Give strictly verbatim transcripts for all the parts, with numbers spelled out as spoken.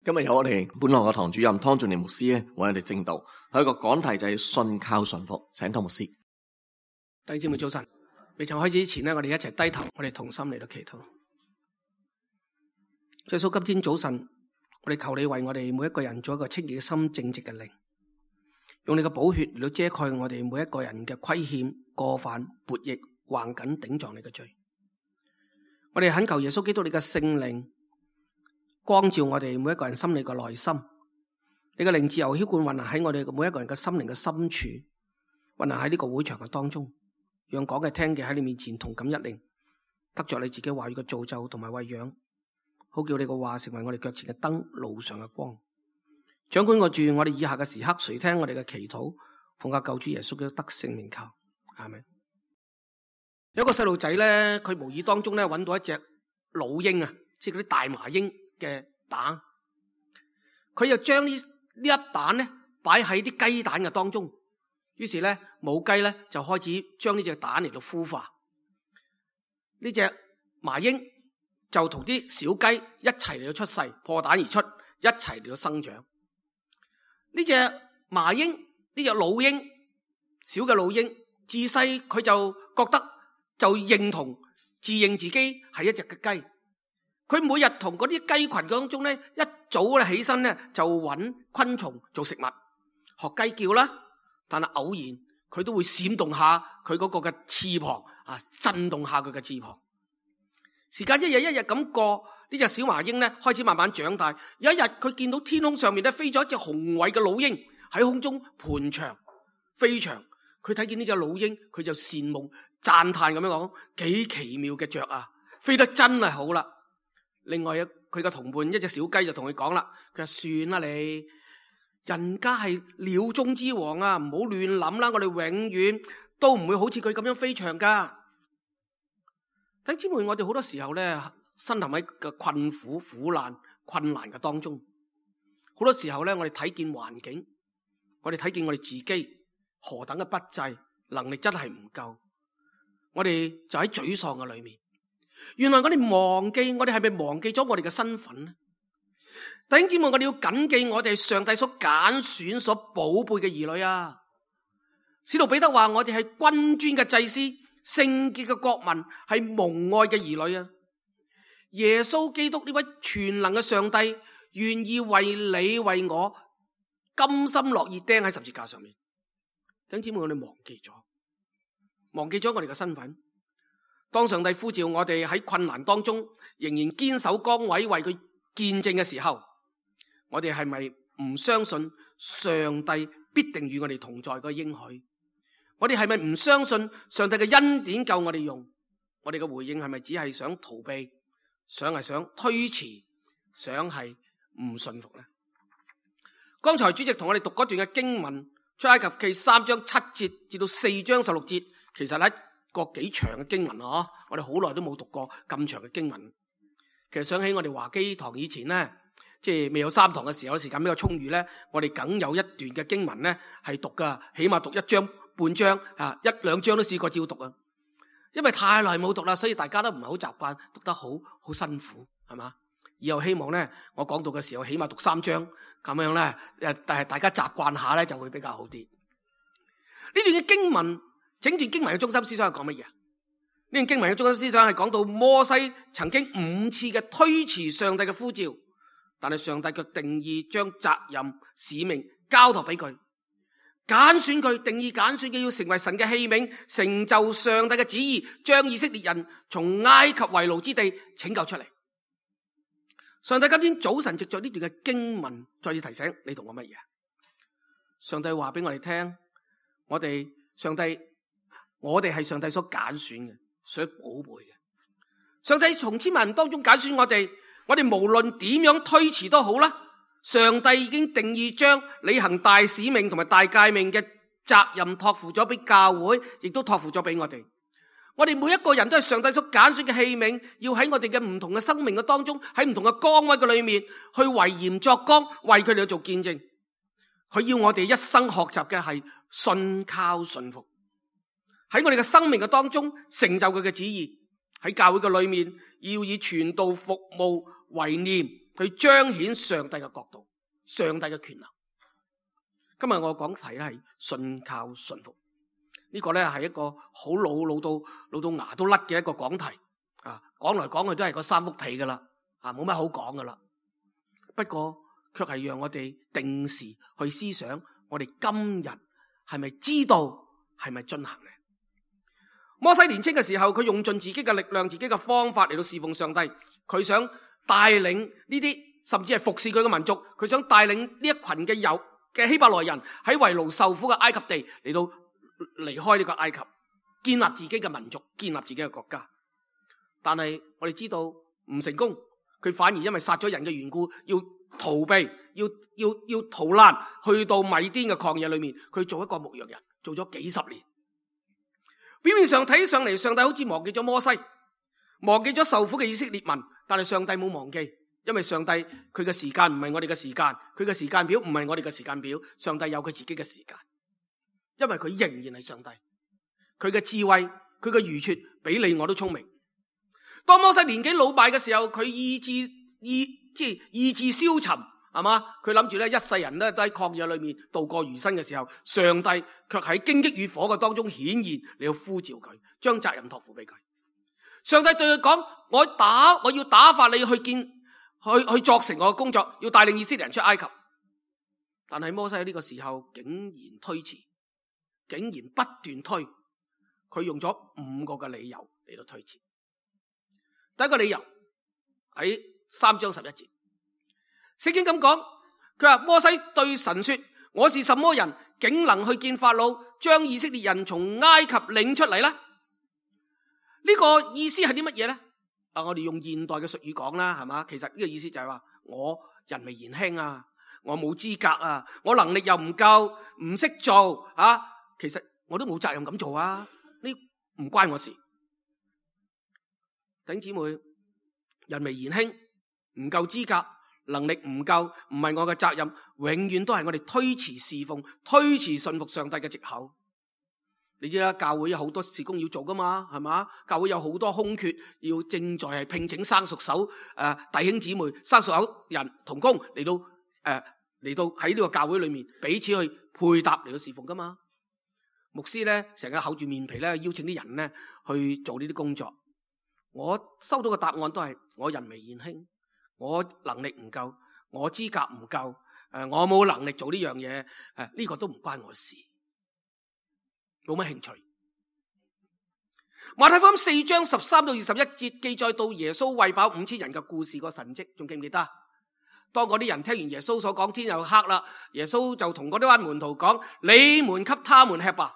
今日有我哋本堂嘅堂主任湯俊年牧師咧，為我哋證道，係一個講題就係信靠順服，請湯牧師。弟兄姊妹早晨，未曾開始之前呢，我哋一齊低頭，我哋同心嚟到祈禱。耶穌，今天早晨，我哋求你為我哋每一個人做一個清潔嘅心、正直嘅靈，用你嘅寶血嚟到遮蓋我哋每一個人嘅虧欠、過犯、悖逆、橫緊頂撞你嘅罪。我哋懇求耶穌基督你嘅聖靈光照我哋每一個人心裏嘅內心，你嘅靈自由澆灌運行喺我哋每一個人嘅心靈嘅深處，運行喺呢個會場嘅當中，讓講嘅聽嘅喺你面前同感一靈，得着你自己話語嘅造就同埋餵養，好叫你嘅話成為我哋腳前嘅燈，路上嘅光。掌管我住我哋以下嘅時刻，垂聽我哋嘅祈禱，奉靠救主耶穌嘅得勝名求，阿們。有一個細路仔咧，佢無意當中咧揾到一隻老鷹啊，即係嗰啲大麻鷹嘅蛋，佢又將呢呢粒蛋咧擺喺啲雞蛋嘅當中，於是咧母雞咧就開始將呢隻蛋嚟到孵化，呢隻麻鷹就同啲小雞一齊嚟到出世，破蛋而出，一齊嚟到生長。呢隻麻鷹，呢隻老鷹，小嘅老鷹，自細佢就覺得就認同自認自己係一隻嘅雞。佢每日同嗰啲雞群當中咧，一早咧起身咧就揾昆蟲做食物，學雞叫啦。但係偶然佢都會閃動下佢嗰個嘅翅膀啊，震動下佢嘅翅膀。時間一日一日咁過，呢隻小麻鷹咧開始慢慢長大。有一日佢見到天空上面咧飛咗一隻雄偉嘅老鷹喺空中盤翔飛翔，佢睇見呢隻老鷹，佢就羨慕讚嘆咁樣講：幾奇妙嘅雀啊，飛得真係好啦！另外佢嘅同伴一隻小雞就同佢講啦，佢話：算啦你，人家係鳥中之王啊，唔好亂諗啦，我哋永遠都唔會好似佢咁樣飛翔噶。弟兄姊妹，我哋好多時候咧，身陷喺個困苦、苦難、困難嘅當中，好多時候咧，我哋睇見環境，我哋睇見我哋自己何等嘅不濟，能力真係唔夠，我哋就喺沮喪嘅裏面。原來我哋忘記，我哋係咪忘記咗我哋嘅身份呢？弟兄姊妹，我哋要謹記，我哋係上帝所揀選、所寶貝嘅兒女啊！使徒彼得話：我哋係君尊嘅祭司，聖潔嘅國民，係蒙愛嘅兒女啊！耶穌基督呢位全能嘅上帝，願意為你為我甘心樂意釘喺十字架上面。弟兄姊妹，我哋忘記咗，忘記咗我哋嘅身份。當上帝呼召我哋喺困難當中仍然堅守崗位為佢見證嘅時候，我哋係咪唔相信上帝必定與我哋同在嗰個應許？我哋係咪唔相信上帝嘅恩典夠我哋用？我哋嘅回應係咪只係想逃避，想係想推遲，想係唔信服呢？剛才主席同我哋讀嗰段嘅經文，出埃及記三章七節至到四章十六節，其實喺個幾長嘅經文啊！我哋好耐都冇讀過咁長嘅經文。其實想起我哋華基堂以前咧，即係未有三堂嘅時候，時間比較充裕咧，我哋梗有一段嘅經文咧係讀噶，起碼讀一章半章啊，一兩章都試過照讀啊。因為太耐冇讀啦，所以大家都唔係好習慣，讀得好好辛苦，係嘛？以後希望咧，我講到嘅時候起碼讀三章咁樣咧，誒，但係大家習慣下咧就會比較好啲。呢段嘅經文。整段經文嘅中心思想係講乜嘢啊？呢段經文嘅中心思想係講到摩西曾經五次嘅推遲上帝嘅呼召，但係上帝卻定意將責任使命交託俾佢，揀選佢，定意揀選佢要成為神嘅器皿，成就上帝嘅旨意，將以色列人從埃及為奴之地拯救出嚟。上帝今天早晨藉着呢段嘅經文再次提醒你同我乜嘢？上帝話俾我哋聽，我哋上帝。我哋係上帝所揀選嘅，所寶貝嘅。上帝從千萬人當中揀選我哋，我哋無論點樣推遲都好啦。上帝已經定義將履行大使命同埋大誡命嘅責任託付咗俾教會，亦都託付咗俾我哋。我哋每一個人都係上帝所揀選嘅器皿，要喺我哋嘅唔同嘅生命嘅當中，喺唔同嘅崗位嘅裏面去為鹽作光，為佢哋去做見證。佢要我哋一生學習嘅係信靠順服。喺我哋嘅生命嘅當中成就佢嘅旨意，喺教會嘅裏面要以傳道服務為念，去彰顯上帝嘅國度、上帝嘅權能。今日我講題咧係信靠順服，呢個咧係一個好老老到老到牙都甩嘅一個講題啊！講來講去都係個三幅被噶啦，啊冇乜好講噶啦。不過卻係讓我哋定時去思想，我哋今日係咪知道，係咪進行呢？摩西年輕嘅時候，佢用盡自己嘅力量、自己嘅方法嚟到侍奉上帝，佢想帶領呢啲甚至係服侍佢嘅民族，佢想帶領呢一群嘅有嘅希伯來人喺為奴受苦嘅埃及地嚟到離開呢個埃及，建立自己嘅民族，建立自己嘅國家。但係我哋知道唔成功，佢反而因為殺咗人嘅緣故，要逃避，要要要逃難，去到米甸嘅曠野裏面，佢做一個牧羊人，做咗幾十年。表面上睇上嚟，上帝好似忘記咗摩西，忘記咗受苦嘅以色列民，但係上帝冇忘記。因為上帝佢嘅時間唔係我哋嘅時間，佢嘅時間表唔係我哋嘅時間表，上帝有佢自己嘅時間，因為佢仍然係上帝，佢嘅智慧，佢嘅愚拙比你我都聰明。當摩西年紀老邁嘅時候，佢意志意即係意志消沉，係嘛？佢諗住咧一世人咧都喺曠野裏面度過餘生嘅時候，上帝卻喺荊棘與火嘅當中顯現，你要呼召佢，將責任託付俾佢。上帝對佢講：我打我要打發你去見。去去作成我嘅工作，要帶領以色列人出埃及。但係摩西喺呢個時候竟然推遲，竟然不斷推，佢用咗五個嘅理由嚟到推遲。第一個理由喺三章十一節，聖經咁講，佢話摩西對神說：我是什麼人，竟能去見法老，將以色列人從埃及領出嚟呢？呢個意思係啲乜嘢呢？啊！我哋用現代嘅術語講啦，係嘛？其實呢個意思就係話，我人微言輕啊，我冇資格啊，我能力又唔夠，唔識做啊。其實我都冇責任咁做啊，呢唔關我事。弟兄姊妹，人微言輕，唔夠資格，能力唔夠，唔係我嘅責任，永遠都係我哋推遲侍奉、推遲信服上帝嘅藉口。你知啦，教會有好多事工要做噶嘛，係嘛？教會有好多空缺，要正在係聘請生熟手誒、呃、弟兄姊妹、生熟口人同工嚟到誒嚟、呃、到喺呢個教會裏面彼此去配搭嚟到侍奉噶嘛。牧師咧成日厚住面皮咧邀請啲人咧去做呢啲工作。我收到嘅答案都係我人微言輕，我能力唔夠，我資格唔夠，誒、呃、我冇能力做呢樣嘢，誒、呃、呢、這個都唔關我事。冇乜興趣。馬太福音四章十三到二十一節記載到耶穌餵飽五千人嘅故事個神蹟，仲記唔記得？當嗰啲人聽完耶穌所講，天又黑啦，耶穌就同嗰啲班門徒講：你們給他們吃吧。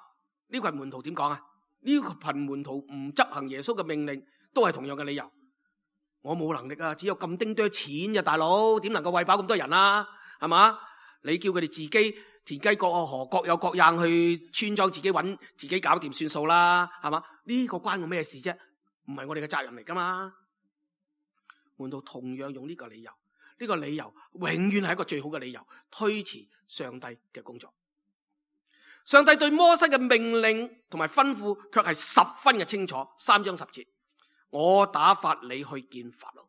呢個係門徒點講啊？呢個群門徒唔執行耶穌嘅命令，都係同樣嘅理由。我冇能力啊，只有咁丁多錢嘅大佬，點能夠餵飽咁多人啊？係嘛？你叫佢哋自己田雞各河各有各樣去村莊自己揾自己搞掂算數啦，係嘛？呢個關我咩事啫？唔係我哋嘅責任嚟噶嘛？門徒同樣用呢個理由，呢個理由永遠係一個最好嘅理由，推遲上帝嘅工作。上帝對摩西嘅命令同埋吩咐卻係十分嘅清楚。三章十節，我打發你去見法老。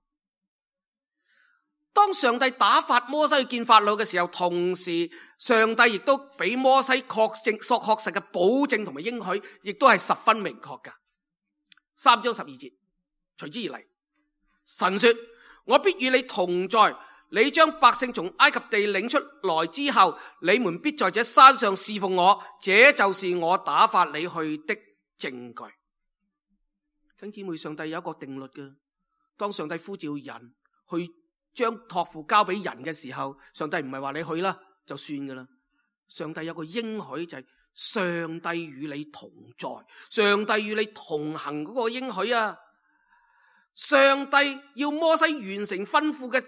當上帝打發摩西去見法老嘅時候，同時上帝亦都俾摩西確證、所確實嘅保證同埋應許，亦都係十分明確噶。三章十二節，隨之而嚟，神說：我必與你同在，你將百姓從埃及地領出來之後，你們必在這山上侍奉我，這就是我打發你去的證據。弟兄姊妹，上帝有一個定律嘅，當上帝呼召人去將託付交俾人嘅時候，上帝唔係話你去啦就算噶啦。上帝有個應許就係上帝與你同在，上帝與你同行嗰個應許啊！上帝要摩西完成吩咐嘅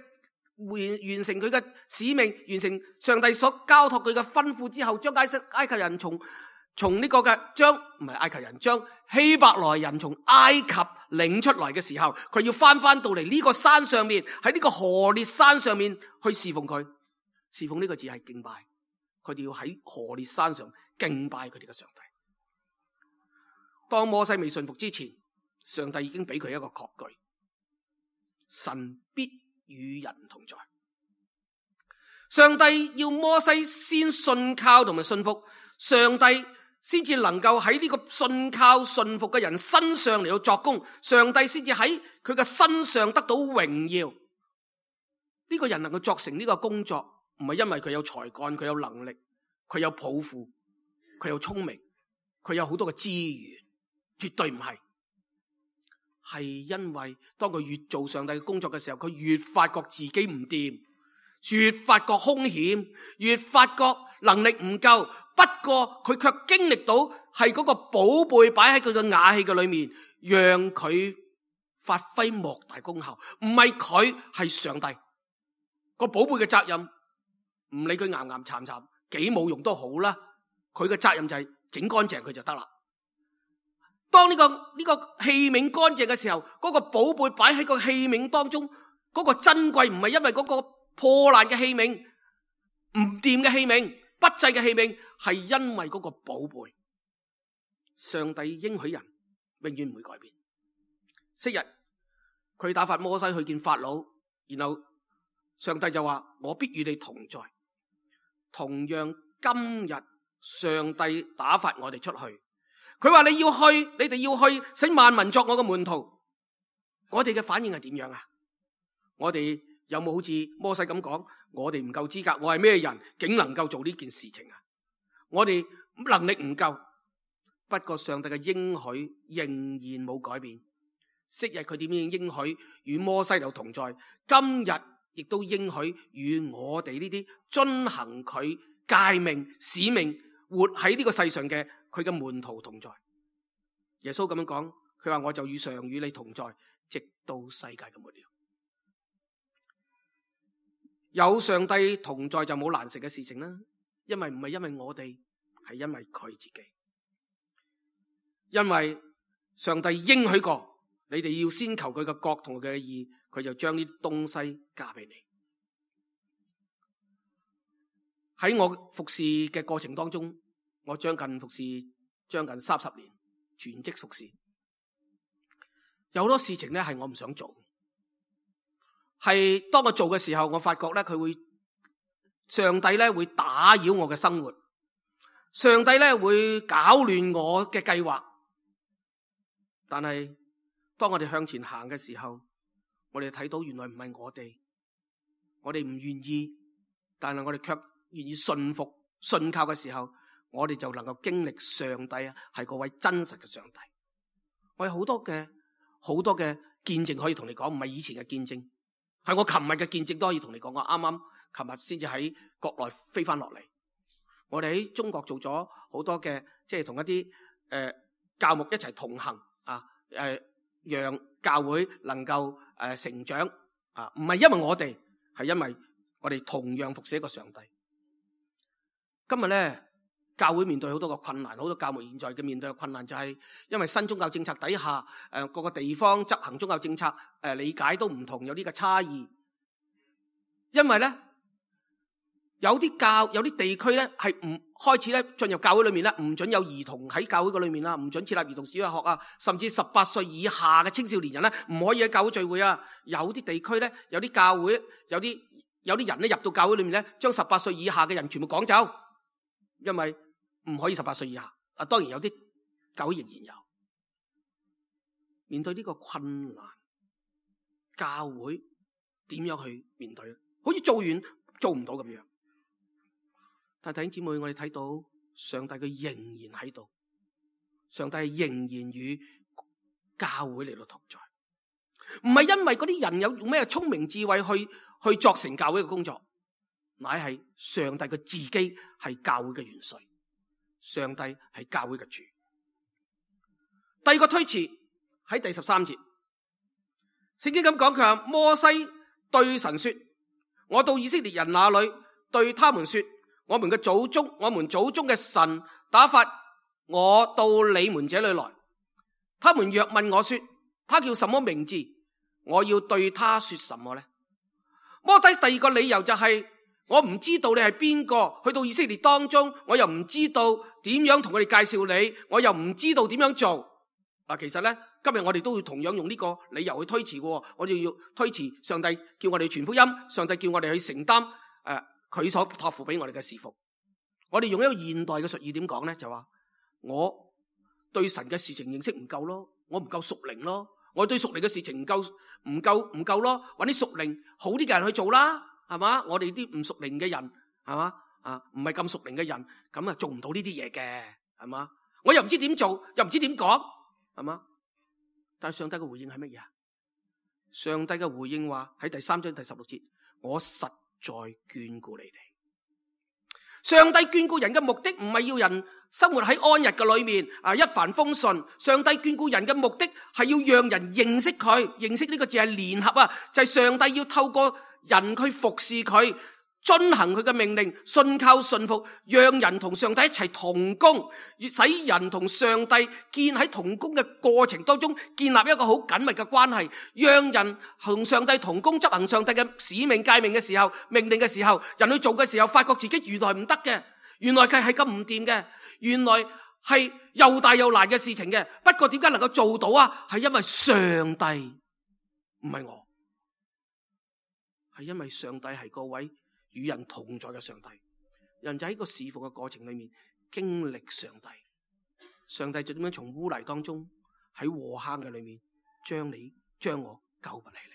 完完成佢嘅使命，完成上帝所交託佢嘅吩咐之後，將埃及埃及人從從呢個嘅將唔係埃及人將希伯來人從埃及領出來嘅時候，佢要翻翻到嚟呢個山上面，喺呢個何烈山上面去侍奉佢。侍奉呢個字係敬拜，佢哋要喺何烈山上敬拜佢哋嘅上帝。當摩西未信服之前，上帝已經俾佢一個確據，神必與人同在。上帝要摩西先信靠同埋信服，上帝先至能夠喺呢個信靠信服嘅人身上嚟到作工，上帝先至喺佢嘅身上得到榮耀。呢個人能夠作成呢個工作，唔係因為佢有才幹，佢有能力，佢有抱負，佢有聰明，佢有好多嘅資源，絕對唔係。係因為當佢越做上帝嘅工作嘅時候，佢越發覺自己唔掂，越發覺兇險，越發覺能力唔夠。不過佢卻經歷到係嗰個寶貝擺喺佢嘅瓦器嘅裏面，讓佢發揮莫大功效。唔係佢，係上帝。個寶貝嘅責任，唔理佢岩岩巉巉幾冇用都好啦，佢嘅責任就係整乾淨佢就得啦。當呢個呢個器皿乾淨嘅時候，嗰個寶貝擺喺個器皿當中，嗰個珍貴唔係因為嗰個破爛嘅器皿，唔掂嘅器皿，不濟嘅器皿，係因為嗰個寶貝。上帝應許人永遠唔會改變。昔日佢打發摩西去見法老，然後上帝就話：我必與你同在。同樣今日上帝打發我哋出去，佢話你要去，你哋要去，使萬民作我嘅門徒。我哋嘅反應係點樣啊？我哋有冇好似摩西咁講？我哋唔夠資格，我係咩人，竟能夠做呢件事情啊？我哋能力唔夠。不過上帝嘅應許仍然冇改變。昔日佢點樣應許與摩西有同在，今日亦都應許與我哋呢啲遵行佢誡命使命，活喺呢個世上嘅佢嘅門徒同在。耶穌咁樣講，佢話我就與常與你同在，直到世界嘅末了。有上帝同在就冇難成嘅事情啦，因為唔係因為我哋，係因為佢自己。因為上帝應許過，你哋要先求佢嘅國同佢嘅義，佢就將呢啲東西加俾你。喺我服侍嘅過程當中，我將近服侍將近三十年，全職服侍。有好多事情咧係我唔想做，係當我做嘅時候，我發覺咧佢會上帝咧會打擾我嘅生活，上帝咧會搞亂我嘅計劃。但係當我哋向前行嘅時候，我哋睇到原來唔係我哋，我哋唔願意，但係我哋卻願意信服、信靠嘅時候，我哋就能夠經歷上帝啊，係嗰位真實嘅上帝。我有好多嘅好多嘅見證可以同你講，唔係以前嘅見證，係我琴日嘅見證都可以同你講。我啱啱琴日先至喺國內飛翻落嚟，我哋喺中國做咗好多嘅，即係同一啲誒、呃、教牧一齊同行啊，誒、呃、讓教會能夠誒、呃、成長啊，唔係因為我哋，係因為我哋同樣服侍一個上帝。今日咧，教會面對好多個困難，好多教牧現在嘅面對嘅困難就係因為新宗教政策底下，誒、呃、各個地方執行宗教政策誒、呃、理解都唔同，有呢個差異。因為咧，有啲教有啲地區咧係唔開始咧進入教會裏面咧，唔准有兒童喺教會嘅裏面啦，唔准設立兒童小學啊，甚至十八歲以下嘅青少年人咧唔可以喺教會聚會啊。有啲地區咧，有啲教會有啲有啲人咧入到教會裏面咧，將十八歲以下嘅人全部趕走。因為唔可以十八歲以下，啊，當然有啲教會仍然有。面對呢個困難，教會點樣去面對咧？好似做完做唔到咁樣。但弟兄姊妹，我哋睇到上帝佢仍然喺度，上帝仍然與教會嚟到同在，唔係因為嗰啲人有用咩聰明智慧去去作成教會嘅工作。乃係上帝嘅自己係教會嘅元帥，上帝係教會嘅主。第二個推辭喺第十三節，聖經咁講，佢話摩西對神說：我到以色列人那裏，對他們說，我們嘅祖宗，我們祖宗嘅神打發我到你們這裏來。他們若問我說，他叫什麼名字？我要對他說什麼呢？摩西第二個理由就係、是。我唔知道你係邊個，去到以色列當中，我又唔知道點樣同佢哋介紹你，我又唔知道點樣做。嗱，其實咧，今日我哋都會同樣用呢個理由去推辭嘅。我哋要推辭上帝叫我哋傳福音，上帝叫我哋去承擔誒佢所託付俾我哋嘅侍奉。我哋用一個現代嘅術語點講咧，就話我對神嘅事情認識唔夠咯，我唔夠屬靈咯，我對屬靈嘅事情唔夠唔夠唔夠咯，揾啲屬靈好啲嘅人去做啦，係嘛？我哋啲唔屬靈嘅人，係嘛？啊，唔係咁屬靈嘅人，咁啊做唔到呢啲嘢嘅，係嘛？我又唔知點做，又唔知點講，係嘛？但係上帝嘅回應係乜嘢啊？上帝嘅回應話喺第三章第十六節，我實在眷顧你哋。上帝眷顧人嘅目的唔係要人生活喺安逸嘅裏面啊，一帆風順。上帝眷顧人嘅目的係要讓人認識佢，認識呢個字係聯合啊，就係上帝要透過人去服侍佢，遵行佢嘅命令，信靠信服，讓人同上帝一齊同工，使人同上帝建喺同工嘅過程當中建立一個好緊密嘅關係，讓人同上帝同工執行上帝嘅使命誡命嘅時候，命令嘅時候，人去做嘅時候，發覺自己原來唔得嘅，原來佢係咁唔掂嘅，原來係又大又難嘅事情嘅。不過點解能夠做到啊？係因為上帝，唔係我，係因為上帝係嗰位與人同在嘅上帝。人就喺個侍奉嘅過程裏面經歷上帝，上帝就點樣從污泥當中喺禍坑嘅裏面將你將我救拔起嚟。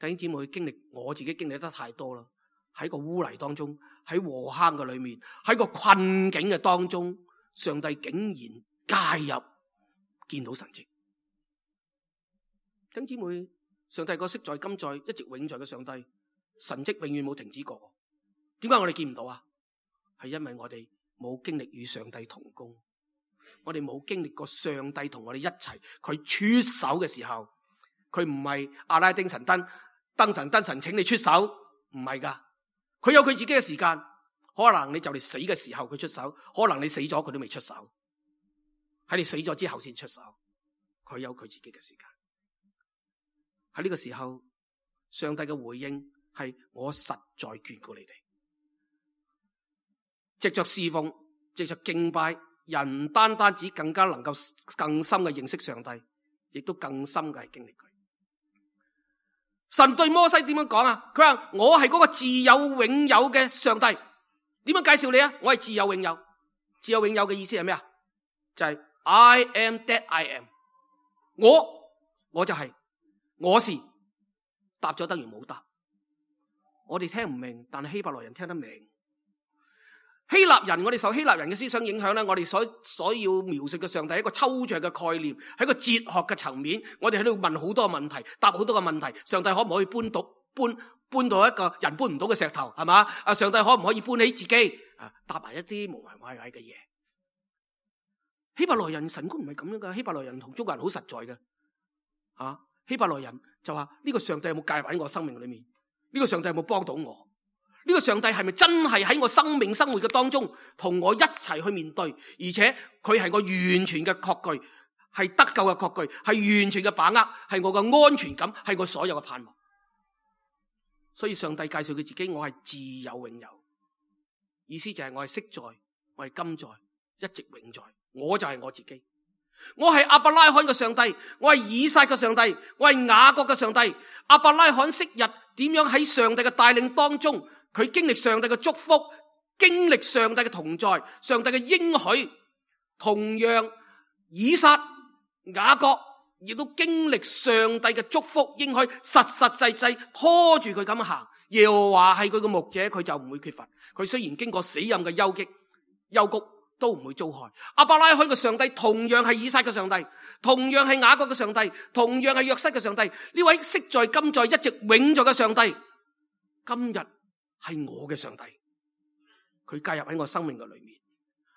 弟兄姊妹，經歷我自己經歷得太多啦，喺個污泥當中，喺禍坑嘅裏面，喺個困境嘅當中，上帝竟然介入，見到神蹟。弟兄姊妹，上帝個昔在今在一直永在嘅上帝，神蹟永遠冇停止過。點解我哋見唔到啊？係因為我哋冇經歷與上帝同工，我哋冇經歷過上帝同我哋一齊，佢出手嘅時候，佢唔係阿拉丁神燈，燈神燈神請你出手，唔係噶，佢有佢自己嘅時間。可能你就嚟死嘅時候佢出手，可能你死咗佢都未出手，喺你死咗之後先出手，佢有佢自己嘅時間。喺呢個時候，上帝嘅回應係我實在眷顧你哋。藉着侍奉，藉着敬拜，人唔單單只更加能夠更深嘅認識上帝，亦都更深嘅係經歷佢。神對摩西點樣講啊？佢話我係嗰個自有永有嘅上帝。點樣介紹你啊？我係自有永有。自有永有嘅意思係咩啊？就係、是、I am that I am。我我就係、是、我是，答咗等於冇答。我哋聽唔明，但係希伯來人聽得明。希臘人，我哋受希臘人嘅思想影響咧，我哋所所要描述嘅上帝係一個抽象嘅概念，喺個哲學嘅層面，我哋喺度問好多問題，答好多個問題。上帝可唔可以搬到搬搬到一個人搬唔到嘅石頭，係嘛？啊，上帝可唔可以搬起自己？啊，答埋一啲無謂怪怪嘅嘢。希伯來人神觀唔係咁樣噶，希伯來人同中國人好實在嘅。啊，希伯來人就話呢個上帝有冇介入喺我生命裏面？呢個上帝有冇幫到我？呢個上帝係咪真係喺我生命生活嘅當中同我一齊去面對？而且佢係我完全嘅確據，係得救嘅確據，係完全嘅把握，係我嘅安全感，係我所有嘅盼望。所以上帝介紹佢自己，我係自有永有，意思就係我係昔在，我係今在，一直永在。我就係我自己，我係亞伯拉罕嘅上帝，我係以撒嘅上帝，我係雅各嘅上帝。亞伯拉罕昔日點樣喺上帝嘅帶領當中，佢經歷上帝嘅祝福，經歷上帝嘅同在，上帝嘅應許。同樣以撒、雅各亦都經歷上帝嘅祝福應許，實實際際拖住佢咁行。耶和華係佢嘅牧者，佢就唔會缺乏。佢雖然經過死蔭嘅幽谷，幽谷都唔會遭害。亞伯拉罕嘅上帝同樣係以撒嘅上帝，同樣係雅各嘅上帝，同樣係約瑟嘅上帝。呢位昔在今在一直永在嘅上帝，今日係我嘅上帝，佢介入喺我生命嘅裏面，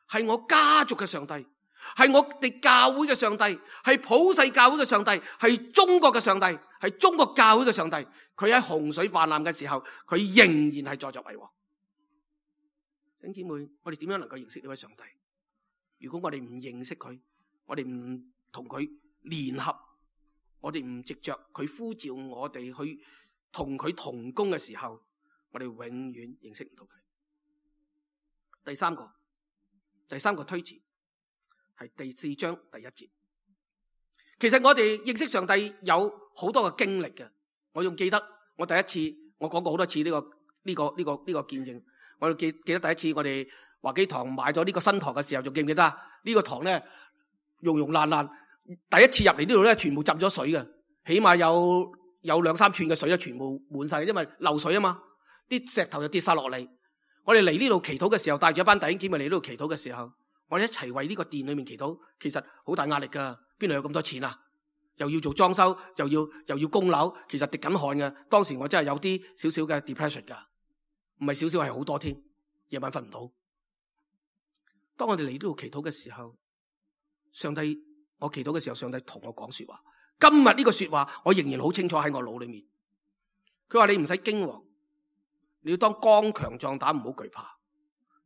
係我家族嘅上帝，係我哋教會嘅上帝，係普世教會嘅上帝，係中國嘅上帝，係中國教會嘅上帝。佢喺洪水泛濫嘅時候，佢仍然係坐著為王。弟兄姊妹，我哋點樣能夠認識呢位上帝？如果我哋唔認識佢，我哋唔同佢聯合，我哋唔藉着佢呼召我哋去同佢同工嘅時候，我哋永遠認識唔到佢。第三個，第三個推辭係第四章第一節，其實我哋認識上帝有好多嘅經歷嘅。我仲記得我第一次，我講過好多次呢個呢個呢個呢個見證。我記記得第一次我哋華基堂買咗呢個新堂嘅時候，仲記唔記得啊？呢個堂咧溶溶爛爛，第一次入嚟呢度咧，全部浸咗水嘅，起碼有有兩三寸嘅水咧，全部滿晒，因為漏水啊嘛，啲石頭就跌晒落嚟。我哋嚟呢度祈禱嘅時候，帶住一班弟兄姊妹嚟呢度祈禱嘅時候，我哋一齊為呢個殿裏面祈禱，其實好大壓力噶，邊度有咁多錢啊？又要做裝修，又要又要供樓，其實滴緊汗嘅。當時我真係有啲少少嘅 depression 噶，唔係少少係好多添，夜晚瞓唔到。當我哋嚟呢度祈禱嘅時候，上帝，我祈禱嘅時候，上帝同我講說話。今日呢個說話，我仍然好清楚喺我腦裏面。佢話你唔使驚惶，你要當剛強壯膽，唔好懼怕。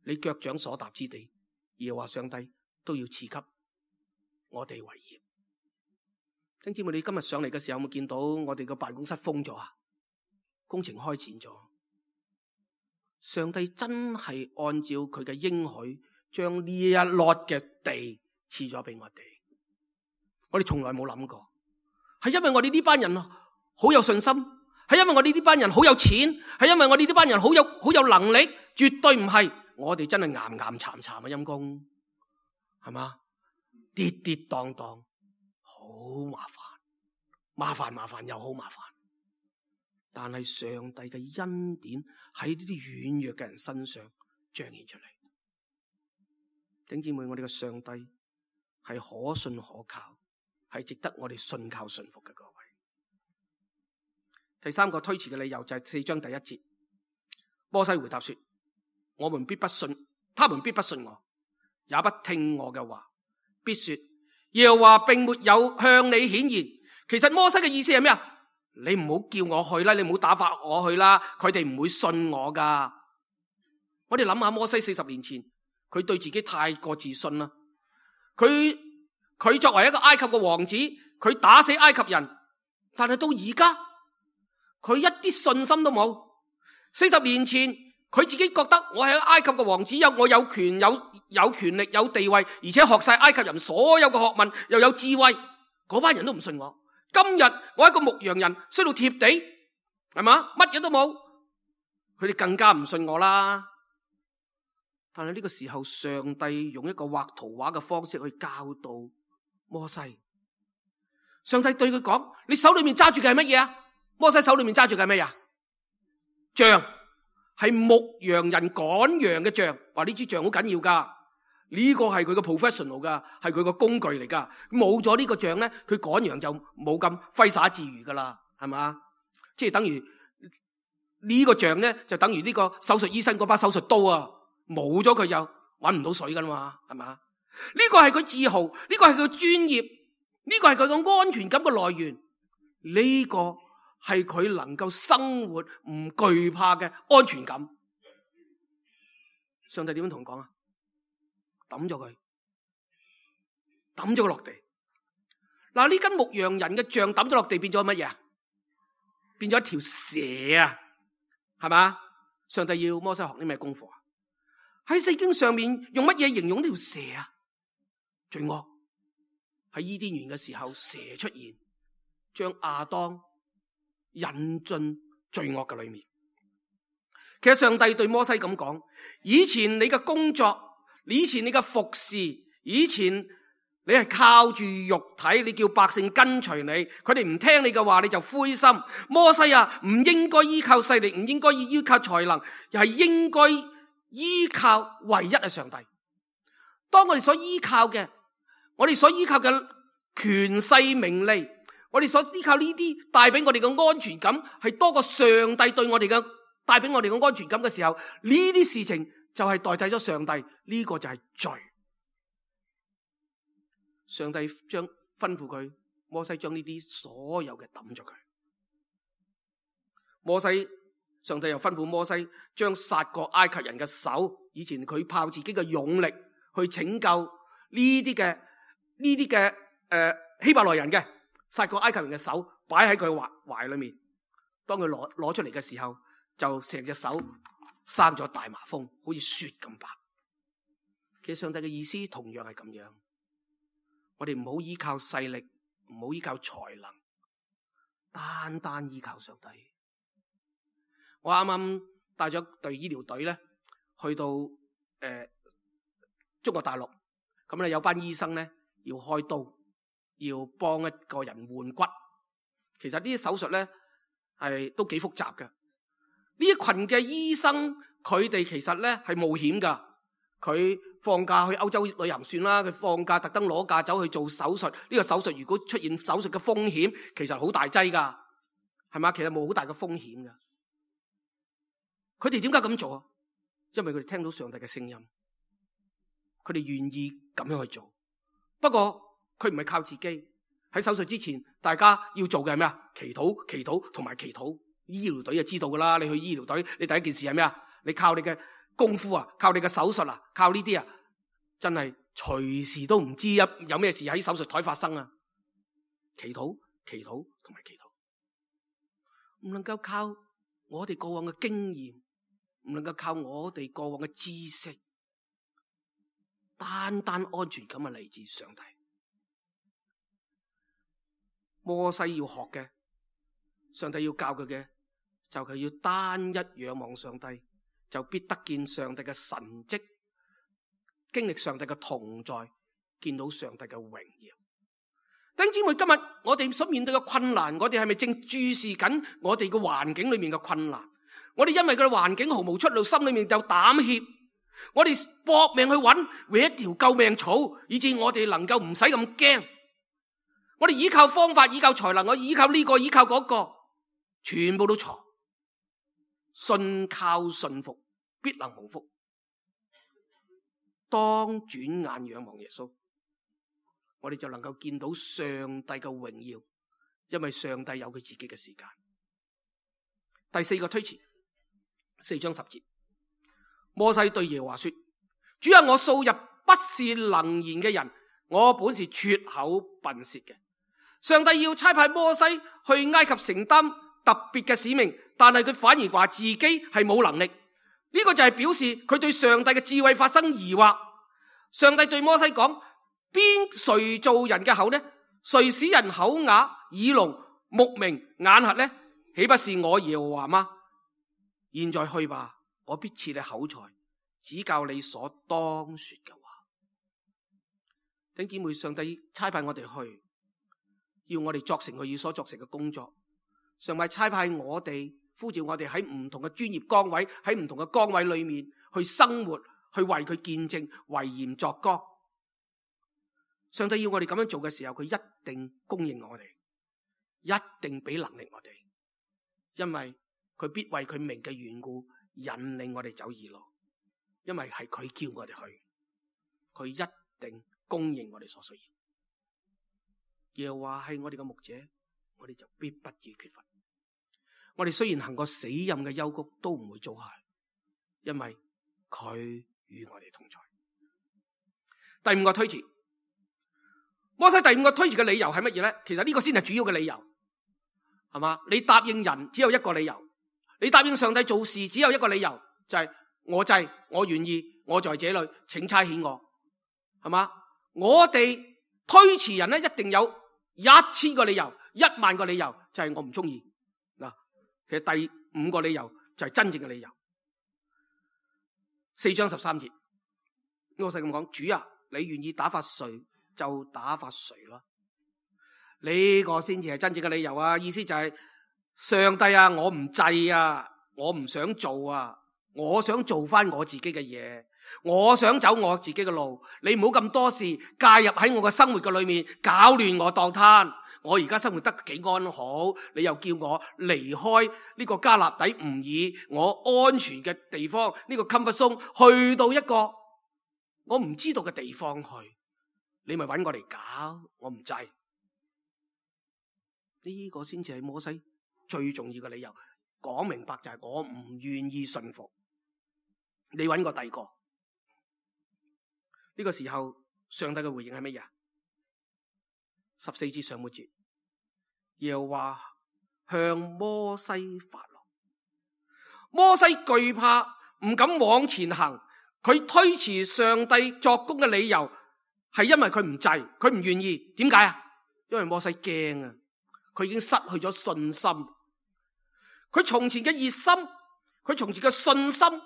你腳掌所踏之地，耶和華上帝都要賜給我哋為業。弟兄姊妹，你今日上嚟嘅時候有冇見到我哋個辦公室封咗啊？工程開展咗，上帝真係按照佢嘅應許，將呢一lot嘅地賜咗俾我哋。我哋從來冇諗過，係因為我哋呢班人好有信心，係因為我哋呢班人好有錢，係因為我哋呢班人好有好有能力，絕對唔係我哋真係岩岩慘慘啊！陰公係嘛，跌跌蕩蕩。好麻煩，麻煩麻煩又好麻煩，但係上帝嘅恩典喺呢啲軟弱嘅人身上彰顯出嚟。弟兄姊妹，我哋嘅上帝係可信可靠，係值得我哋信靠信服嘅各位。第三個推辭嘅理由就係四章第一節，摩西回答說：我們必不信，他們必不信我，也不聽我嘅話，必說耶和華並沒有向你顯現。其實摩西嘅意思係咩啊？你唔好叫我去啦，你唔好打發我去啦，佢哋唔會信我噶。我哋諗下摩西四十年前，佢對自己太過自信啦。佢佢作為一個埃及嘅王子，佢打死埃及人，但係到而家佢一啲信心都冇。四十年前佢自己覺得我係埃及嘅王子，有我有權有有權力有地位，而且學晒埃及人所有嘅學問，又有智慧，嗰班人都唔信我。今日我一個牧羊人，衰到貼地，係嘛，乜嘢都冇，佢哋更加唔信我啦。但係呢個時候，上帝用一個畫圖畫嘅方式去教導摩西。上帝對佢講：你手裏面揸住嘅係乜嘢啊？摩西手裏面揸住嘅係乜嘢？杖。係牧羊人趕羊嘅杖，話呢支杖好緊要噶，呢個係佢個 professional 噶，係佢個工具嚟噶。冇咗呢個杖咧，佢趕羊就冇咁揮灑自如噶啦，係嘛？即係等於呢個杖咧，就等於呢個手術醫生嗰把手術刀啊，冇咗佢就搵唔到水噶啦嘛，係嘛？呢個係佢自豪，呢個係佢專業，呢個係佢個安全感嘅來源，呢個係佢能夠生活唔懼怕嘅安全感。上帝點樣同佢講啊？抌咗佢，抌咗佢落地。嗱，呢根牧羊人嘅杖抌咗落地，變咗乜嘢啊？變咗一條蛇啊，係嘛？上帝要摩西學啲咩功課啊？喺聖經上面用乜嘢形容呢條蛇啊？罪惡。喺伊甸園嘅時候，蛇出現，將亞當引進罪惡嘅裏面。其實上帝對摩西咁講：以前你嘅工作，以前你嘅服侍，以前你係靠住肉體，你叫百姓跟隨你，佢哋唔聽你嘅話，你就灰心。摩西啊，唔應該依靠勢力，唔應該依靠才能，又係應該依靠唯一嘅上帝。當我哋所依靠嘅，我哋所依靠嘅權勢名利，我哋所依靠呢啲帶俾我哋嘅安全感，係多過上帝對我哋嘅帶俾我哋嘅安全感嘅時候，呢啲事情就係代替咗上帝，呢個就係罪。上帝將吩咐佢，摩西將呢啲所有嘅抌咗佢。摩西，上帝又吩咐摩西將殺過埃及人嘅手，以前佢靠自己嘅勇力去拯救呢啲嘅呢啲嘅誒希伯來人嘅，殺過埃及人嘅手擺喺佢懷懷裏面，當佢攞攞出嚟嘅時候，就成隻手生咗大麻風，好似雪咁白。其實上帝嘅意思同樣係咁樣，我哋唔好依靠勢力，唔好依靠才能，單單依靠上帝。我啱啱帶咗隊醫療隊咧，去到誒、呃、中國大陸，咁咧有班醫生咧要開刀，要幫一個人換骨。其實呢啲手術咧係都幾複雜嘅。呢一群嘅醫生，佢哋其實咧係冒險噶。佢放假去歐洲旅行算啦，佢放假特登攞假走去做手術。呢個手術如果出現手術嘅風險，其實好大劑噶，係嘛？其實冇好大嘅風險噶。佢哋點解咁做啊？因為佢哋聽到上帝嘅聲音，佢哋願意咁樣去做。不過佢唔係靠自己。喺手術之前，大家要做嘅係咩啊？祈禱、祈禱同埋祈禱。醫療隊就知道噶啦。你去醫療隊，你第一件事係咩啊？你靠你嘅功夫啊，靠你嘅手術啊，靠呢啲啊，真係隨時都唔知有有咩事喺手術台發生啊！祈禱、祈禱同埋祈禱，唔能夠靠我哋過往嘅經驗，唔能夠靠我哋過往嘅知識，單單安全感係嚟自上帝。摩西要學嘅，上帝要教佢嘅，就係要單一仰望上帝，就必得見上帝嘅神蹟，經歷上帝嘅同在，見到上帝嘅榮耀。弟兄姊妹，今日我哋所面對嘅困難，我哋係咪正注視緊我哋嘅環境裏面嘅困難？我哋因為佢嘅環境毫無出路，心裏面就膽怯，我哋搏命去揾搵一條救命草，以致我哋能夠唔使咁驚。我哋依靠方法，依靠才能，我依靠呢個，依靠嗰個，全部都錯。信靠信服，必能蒙福。當轉眼仰望耶穌，我哋就能夠見到上帝嘅榮耀，因為上帝有佢自己嘅時間。第四個推辭，四章十節，摩西對耶和華說：主啊，我素日不是能言嘅人，我本是拙口笨舌嘅。上帝要差派摩西去埃及承擔特別嘅使命，但係佢反而話自己係冇能力。呢個就係表示佢對上帝嘅智慧發生疑惑。上帝對摩西講：邊誰造人嘅口呢？誰使人口啞、耳聾、目明、眼瞎呢？豈不是我耶和華嗎？現在去吧，我必賜你口才，指教你所當說嘅話。弟兄姊妹，上帝差派我哋去，要我哋作成佢要所作成嘅工作。上帝差派我哋，呼召我哋喺唔同嘅專業崗位，喺唔同嘅崗位裏面去生活，去為佢見證，為鹽作光。上帝要我哋咁樣做嘅時候，佢一定供應我哋，一定俾能力我哋，因為佢必為佢名嘅緣故引領我哋走義路，因為係佢叫我哋去，佢一定供應我哋所需要。耶和華係我哋嘅牧者，我哋就必不致缺乏。我哋雖然行過死蔭嘅幽谷，都唔會遭害，因為佢與我哋同在。第五個推辭，摩西第五個推辭嘅理由係乜嘢咧？其實呢個先係主要嘅理由，係嘛？你答應人只有一個理由，你答應上帝做事只有一個理由，就係、是、我制，我願意，我在這裏，請差遣我，係嘛？我哋推辭人咧，一定有一千個理由，一萬個理由，就係、是、我唔中意。嗱，其實第五個理由就係真正嘅理由。四章十三節，摩西咁講：主啊，你願意打發誰就打發誰啦。呢、這個先至係真正嘅理由啊！意思就係、是、上帝啊，我唔制啊，我唔想做啊，我想做翻我自己嘅嘢，我想走我自己嘅路。你唔好咁多事介入喺我嘅生活嘅裏面，搞亂我當攤。我而家生活得幾安好，你又叫我離開呢個加勒底吾爾我安全嘅地方，呢、這個 comfort zone 去到一個我唔知道嘅地方去，你咪搵我嚟搞，我唔制。呢、這個先至係摩西最重要嘅理由，講明白就係我唔願意順服。你搵個第二個。呢、這個時候上帝嘅回應係乜嘢？十四節上半節，耶和華向摩西發怒，摩西懼怕，唔敢往前行。佢推辭上帝作工嘅理由係因為佢唔制，佢唔願意。點解啊？因為摩西驚啊，佢已經失去咗信心。佢從前嘅熱心，佢從前嘅信心，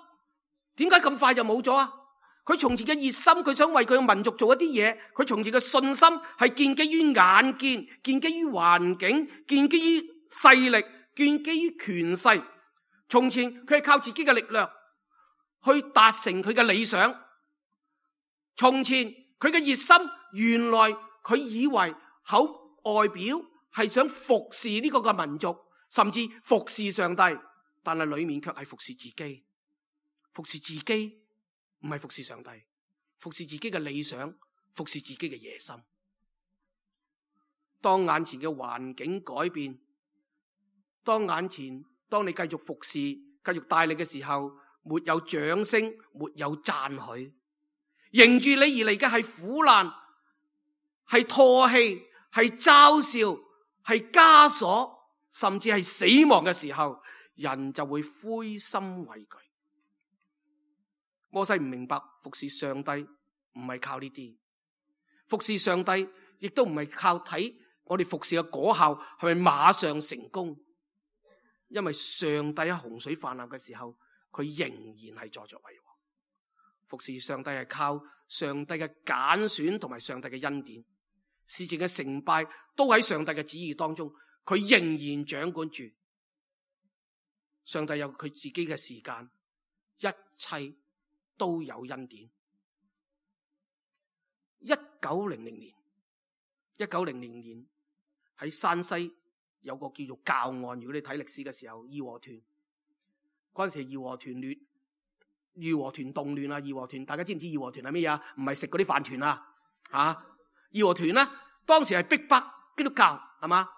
點解咁快就冇咗啊？佢從前嘅熱心，佢想為佢嘅民族做一啲嘢。佢從前嘅信心係建基於眼見，建基於環境，建基於勢力，建基於權勢。從前佢係靠自己嘅力量去達成佢嘅理想。從前佢嘅熱心，原來佢以為口外表係想服侍呢個嘅民族，甚至服侍上帝，但係裏面卻係服侍自己。服侍自己唔係服侍上帝，服侍自己嘅理想，服侍自己嘅野心。當眼前嘅環境改變，當眼前當你繼續服侍、繼續帶領嘅時候，沒有掌聲，沒有讚許，迎住你而嚟嘅係苦難，係唾棄，係嘲笑，係枷鎖，甚至係死亡嘅時候，人就會灰心畏懼。摩西唔明白服侍上帝唔係靠呢啲，服侍上帝亦都唔係靠睇我哋服侍嘅果效係咪馬上成功，因為上帝喺洪水泛濫嘅時候，佢仍然係坐著為王。服侍上帝係靠上帝嘅揀選同埋上帝嘅恩典，事情嘅成敗都喺上帝嘅旨意當中，佢仍然掌管住。上帝有佢自己嘅時間，一切都有恩典。一九零零年，一九零零年喺山西有個叫做教案。如果你睇歷史嘅時候，義和團嗰陣時，義和團亂，義和團動亂啊！義和團大家知唔知義和團係咩啊？唔係食嗰啲飯團啊！吓，義和團咧，當時係逼迫基督教，係嘛？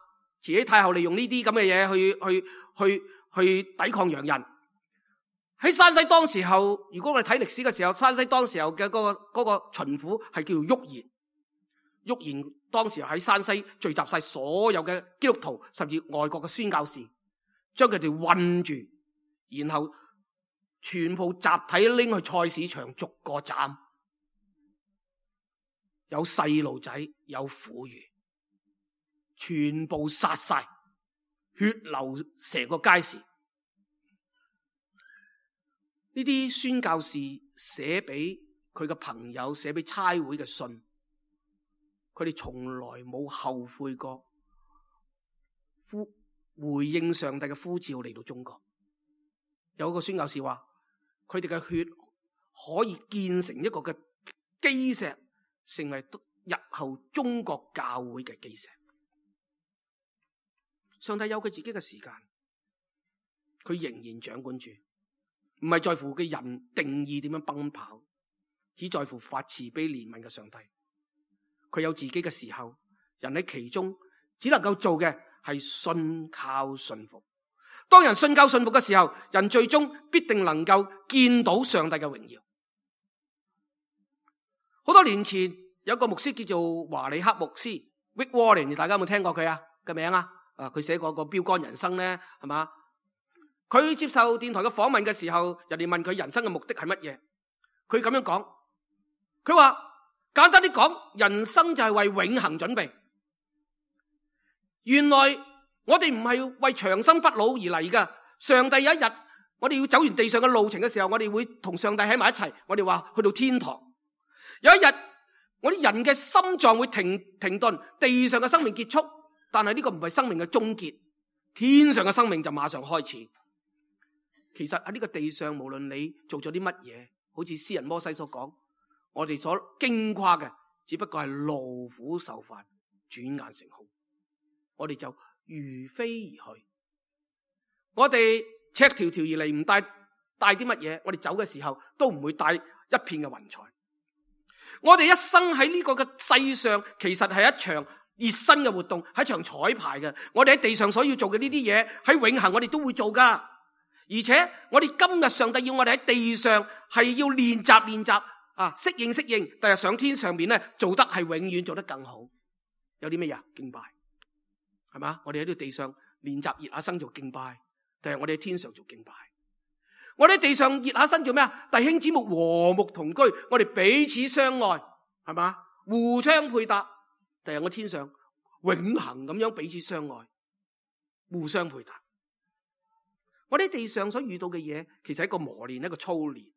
慈禧太后利用呢啲咁嘅嘢去去去去抵抗洋人。喺山西當時候，如果我哋睇歷史嘅時候，山西當時候嘅嗰個嗰個巡撫係叫做旭賢。旭賢當時喺山西聚集晒所有嘅基督徒，甚至外國嘅宣教士，將佢哋困住，然後全部集體拎去菜市場逐個斬，有細路仔，有婦孺，全部殺晒，血流成個街市。呢啲宣教士寫俾佢嘅朋友，寫俾差會嘅信，佢哋從來冇後悔過呼回應上帝嘅呼召嚟到中國。有一個宣教士話，佢哋嘅血可以建成一個嘅基石，成為日後中國教會嘅基石。上帝有佢自己嘅時間，佢仍然掌管住。唔係在乎嘅人定義點樣奔跑，只在乎發慈悲憐憫嘅上帝。佢有自己嘅時候，人喺其中只能夠做嘅係信靠信服。當人信靠信服嘅時候，人最終必定能夠見到上帝嘅榮耀。好多年前有一個牧師叫做華里克牧師 Rick Warren， 大家有冇聽過佢啊嘅名啊？啊，佢寫過個標杆人生咧，係嘛？佢接受電台嘅訪問嘅時候，人哋問佢人生嘅目的係乜嘢，佢咁樣講，佢話簡單啲講，人生就係為永恆準備。原來我哋唔係為長生不老而嚟噶。上帝有一日，我哋要走完地上嘅路程嘅時候，我哋會同上帝喺埋一齊。我哋話去到天堂。有一日，我哋人嘅心臟會停停頓，地上嘅生命結束，但係呢個唔係生命嘅終結，天上嘅生命就馬上開始。其實喺呢個地上，無論你做咗啲乜嘢，好似詩人摩西所講，我哋所矜誇嘅，只不過係勞苦受煩，轉眼成空。我哋就如飛而去。我哋赤條條而嚟，唔帶帶啲乜嘢，我哋走嘅時候都唔會帶一片嘅雲彩。我哋一生喺呢個嘅世上，其實係一場熱身嘅活動，係一場彩排嘅。我哋喺地上所要做嘅呢啲嘢，喺永恆我哋都會做噶。而且我哋今日上帝要我哋喺地上係要練習練習啊，適應適應，第日上天上面咧做得係永遠做得更好。有啲咩嘢？敬拜，係嘛？我哋喺呢個地上練習熱下身做敬拜，第日我哋喺天上做敬拜。我哋喺地上熱下身做咩啊？弟兄姊妹和睦同居，我哋彼此相愛，係嘛？互相配搭。第日我天上永恆咁樣彼此相愛，互相配搭。我哋喺地上所遇到嘅嘢，其實係一個磨練，一個操練。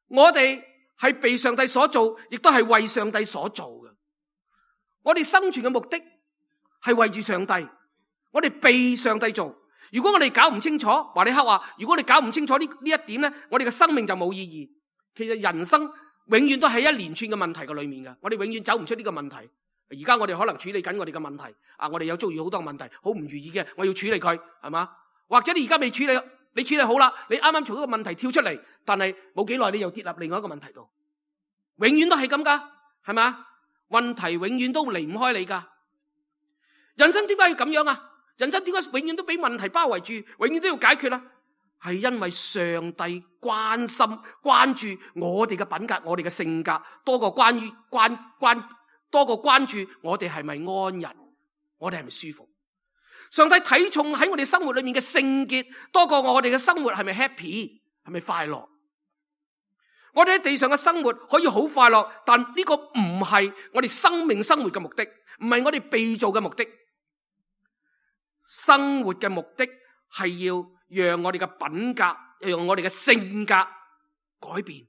我哋係被上帝所造，亦都係為上帝所做嘅。我哋生存嘅目的係為住上帝，我哋被上帝做。如果我哋搞唔清楚，華理克話，如果你搞唔清楚呢呢一點咧，我哋嘅生命就冇意義。其實人生永遠都喺一連串嘅問題嘅裏面嘅，我哋永遠走唔出呢個問題。而家我哋可能處理緊我哋嘅問題，啊，我哋有遭遇好多問題，好唔如意嘅，我要處理佢，係嘛？或者你而家未處理，你處理好啦，你啱啱從一個問題跳出嚟，但係冇幾耐你又跌入另外一個問題度，永遠都係咁噶，係嘛？問題永遠都離唔開你噶。人生點解要咁樣啊？人生點解永遠都俾問題包圍住，永遠都要解決啊？係因為上帝關心關注我哋嘅品格，我哋嘅性格，多過關於關關多過關注我哋係咪安逸，我哋係咪舒服。上帝睇重喺我哋生活裏面嘅聖潔，多過我哋嘅生活係咪 happy， 係咪快樂。我哋喺地上嘅生活可以好快樂，但呢個唔係我哋生命生活嘅目的，唔係我哋被造嘅目的。生活嘅目的係要讓我哋嘅品格，讓我哋嘅性格改變。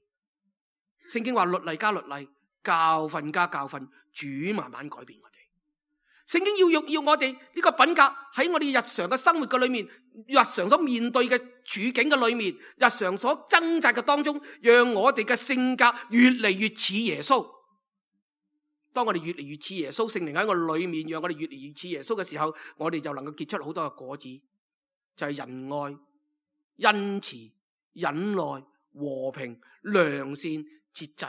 聖經話律例加律例，教訓加教訓，主慢慢改變我哋。聖經要要我哋呢個品格喺我哋日常嘅生活嘅裏面，日常所面對嘅處境嘅裏面，日常所掙扎嘅當中，讓我哋嘅性格越嚟越似耶穌。當我哋越嚟越似耶穌，聖靈喺我裏面，讓我哋越嚟越似耶穌嘅時候，我哋就能夠結出好多嘅果子，就係仁愛、恩慈、忍耐、和平、良善、節制。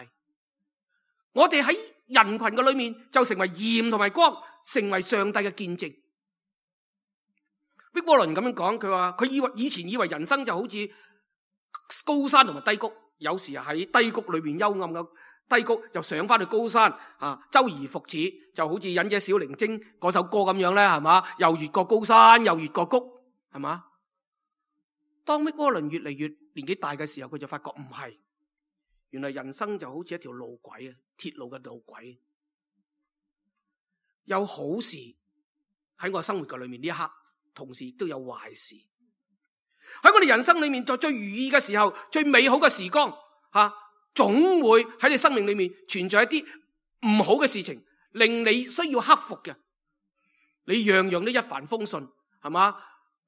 我哋喺人群嘅裏面就成為鹽同埋光，成為上帝嘅見證。畢波倫咁樣講，佢話佢以為以前以為人生就好似高山同埋低谷，有時喺低谷裏面幽暗嘅低谷，又上翻去高山啊，周而復始，就好似忍者小靈精嗰首歌咁樣咧，係嘛？又越過高山，又越過谷，係嘛？當畢波倫越嚟越年紀大嘅時候，佢就發覺唔係，原來人生就好似一條路軌啊，鐵路嘅路軌，有好事喺我生活嘅裏面呢一刻，同時亦都有壞事。喺我哋人生裏面，在最如意嘅時候，最美好嘅時光，吓、啊、總會喺你生命裏面存在一啲唔好嘅事情，令你需要克服嘅。你樣樣都一帆風順，係嘛？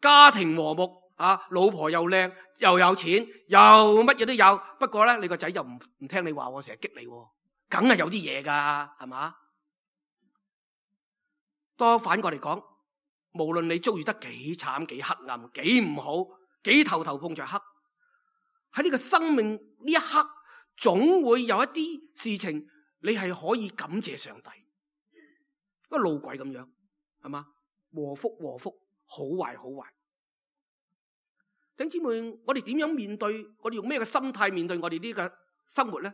家庭和睦，啊，老婆又靚，又有錢，又乜嘢都有。不過咧，你個仔又唔唔聽你話，我成日激你，梗係有啲嘢噶，係嘛？當反過嚟講，無論你遭遇得幾慘、幾黑暗、幾唔好、幾頭頭碰着黑，喺呢個生命呢一刻，總會有一啲事情你係可以感謝上帝。一個路軌咁樣，係嘛？禍福禍福，好壞好壞。弟兄姊妹，我哋點樣面對？我哋用咩嘅心態面對我哋呢個生活咧？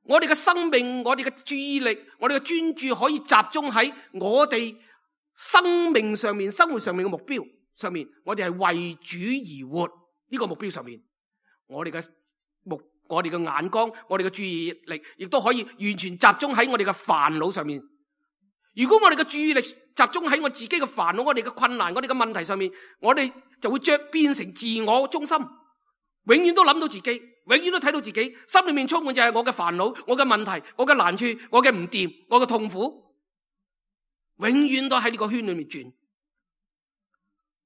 我哋嘅生命，我哋嘅注意力，我哋嘅專注可以集中喺我哋生命上面、生活上面嘅目標上面。我哋係為主而活呢個目標上面，我哋嘅目、我哋嘅眼光、我哋嘅注意力，亦都可以完全集中喺我哋嘅煩惱上面。如果我哋嘅注意力集中喺我自己嘅煩惱、我哋嘅困難、我哋嘅問題上面，我哋就會將變成自我中心，永遠都諗到自己，永遠都睇到自己，心裏面充滿就係我嘅煩惱、我嘅問題、我嘅難處、我嘅唔掂、我嘅痛苦，永遠都喺呢個圈裏面轉。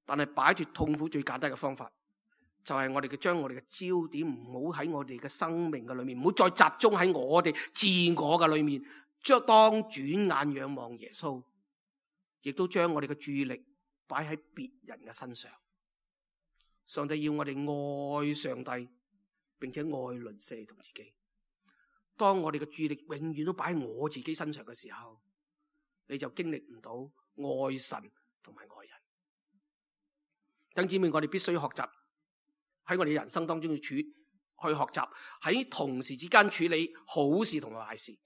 但係擺脫痛苦最簡單嘅方法，就係我哋嘅將我哋嘅焦點唔好喺我哋嘅生命嘅裏面，唔好再集中喺我哋自我嘅裏面。將當轉眼仰望耶穌，亦都將我哋嘅注意力擺喺別人嘅身上。上帝要我哋愛上帝，並且愛鄰舍同自己。當我哋嘅注意力永遠都擺喺我自己身上嘅時候，你就經歷唔到愛神同埋愛人。弟兄姊妹，我哋必須學習喺我哋人生當中去處去學習喺同時之間處理好事同埋壞事。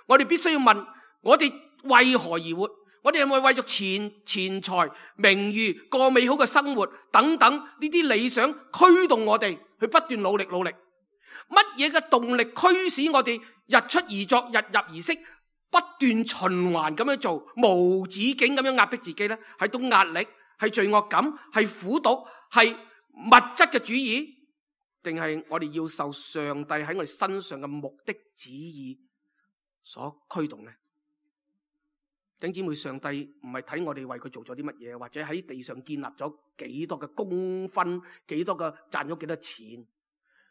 我哋必須要問，我哋為何而活？我哋係咪為咗錢、錢財、名譽、過美好嘅生活等等呢啲理想驅動我哋去不斷努力努力？乜嘢嘅動力驅使我哋日出而作、日入而息，不斷循環咁樣做，無止境咁樣壓迫自己咧，係種壓力，係罪惡感，係苦毒，係物質嘅主義，定係我哋要受上帝喺我哋身上嘅目的旨意所驅動呢？弟兄姊妹，上帝唔係睇我哋為佢做咗啲乜嘢，或者喺地上建立咗幾多嘅功勳，幾多嘅賺咗幾多錢。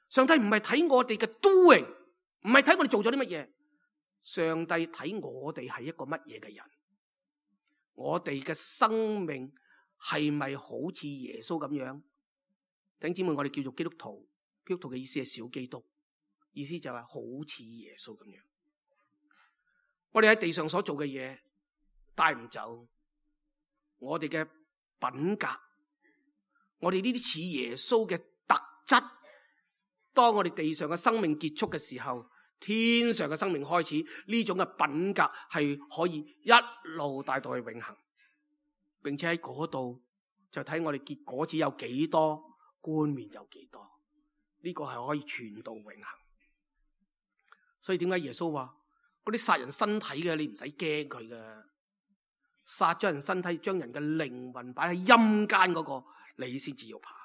上帝唔係睇我哋嘅 doing， 唔係睇我哋做咗啲乜嘢。上帝睇我哋係一個乜嘢嘅人，我哋嘅生命係咪好似耶穌咁樣？弟兄姊妹，我哋叫做基督徒，基督徒嘅意思係小基督，意思就係好似耶穌咁樣。我哋喺地上所做嘅嘢帶唔走我哋嘅品格，我哋呢啲似耶穌嘅特質。當我哋地上嘅生命結束嘅時候，天上嘅生命開始，呢種嘅品格係可以一路帶到去永恆，並且喺嗰度就睇我哋結果子有幾多，冠冕有幾多，呢個係可以傳到永恆。所以點解耶穌話嗰啲殺人身體嘅，你唔使驚佢㗎，殺咗人身體，將人嘅靈魂擺喺陰間嗰個，你先至要怕。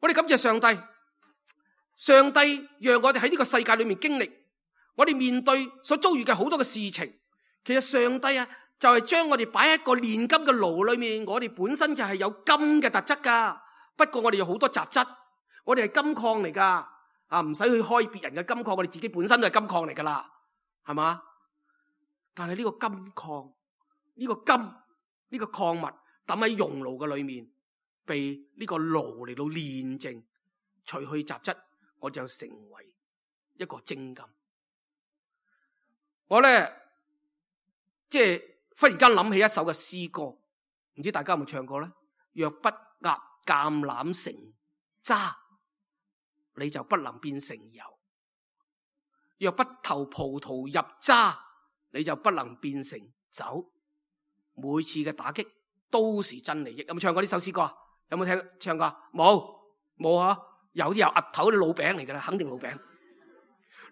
我哋感謝上帝，上帝讓我哋喺呢個世界裏面經歷，我哋面對所遭遇嘅好多嘅事情。其實上帝啊，就係將我哋擺喺一個煉金嘅爐裏面，我哋本身就係有金嘅特質噶。不過我哋有好多雜質，我哋係金礦嚟噶，啊唔使去開別人嘅金礦，我哋自己本身都係金礦嚟噶啦，係嘛？但係呢個金礦，呢個金，呢個礦物抌喺熔爐嘅裏面，被呢個爐嚟到煉淨，除去雜質，我就成為一個精金。我咧即係忽然間諗起一首嘅詩歌，唔知大家有冇唱過咧？若不壓橄欖成渣，你就不能變成油；若不投葡萄入渣，你就不能變成酒。每次嘅打擊都是真利益。有冇唱過呢首詩歌啊？有冇聽唱過？冇冇啊？有啲由額頭啲老餅嚟噶啦，肯定老餅，